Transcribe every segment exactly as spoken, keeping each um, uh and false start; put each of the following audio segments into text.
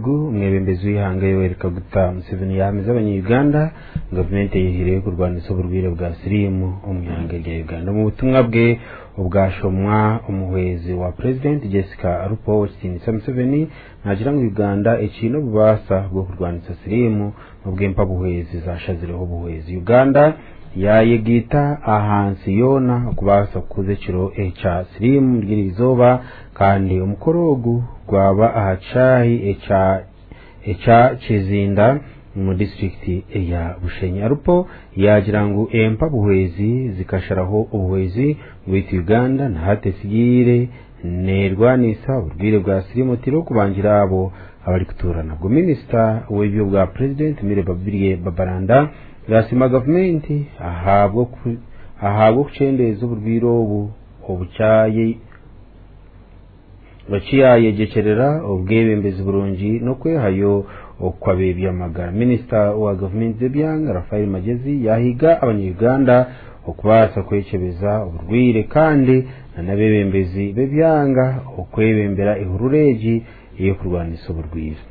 Omwebembezi w'eihanga Yoweri Kaguta Museveni yahamiza abanya-Uganda gavumenti eyihireyo kurwanisa oburwaire bwa siriimu omu ihanga rya Uganda. Omu butumwa bwe obwashomwa omuhwezi wa purezidenti Jessica Alupo Owekitiinisa Museveni naagira ngu Uganda ekiine obubaasa bw'okurwanisa siriimu n'obwempa buhwezi zashazireho obuhwezi. Uganda yayegaita ahansi yoona okubaasa kukuza ekiro ekya siriimu ry'eri izooba kandi omukoro ogu gwaba aha kishaayi ekya ekya Kizinda omu disitulikiti eya Bushenyi. Alupo yaagira ngu empa buhwezi zikasharaho obuhwezi bwaitu Uganda na hati esigaire neerwanisa oburwaire bwa siriimu oteireho okubangira abo abarikutuura nabwo. Minisita w'ebyobwa purezidenti Milly Babirye Babalanda yasiima gavumenti ahabw'okukyendeeza oburwaire obu obukyayegyekyerera obwebembezi burungi n'okwehayo okw'abebyamagara. Minisita wa gavumenti z'ebyanga Raphael Magyezi yahiga abanya-Uganda okubaasa kwekyebeza oburwaire kandi n'abeebembezi b'ebyanga okwebembera ehururu egi ey'okurwanisa oburwaire.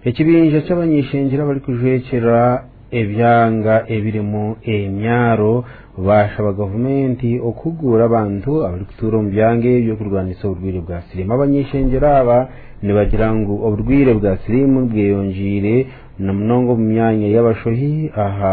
Ekibinja ky'abany'ishengyero abarikujwekyera ebyanga ebirimu emyaro bashaba gavumenti okuhugura abantu abarikutuura omu byanga ebyo kurwanisa oburwaire bwa siriimu. Abany'ishengyero aba nibagira ngu oburwaire bwa siriimu bweyongiire na munonga omu myanya y'abashohi aha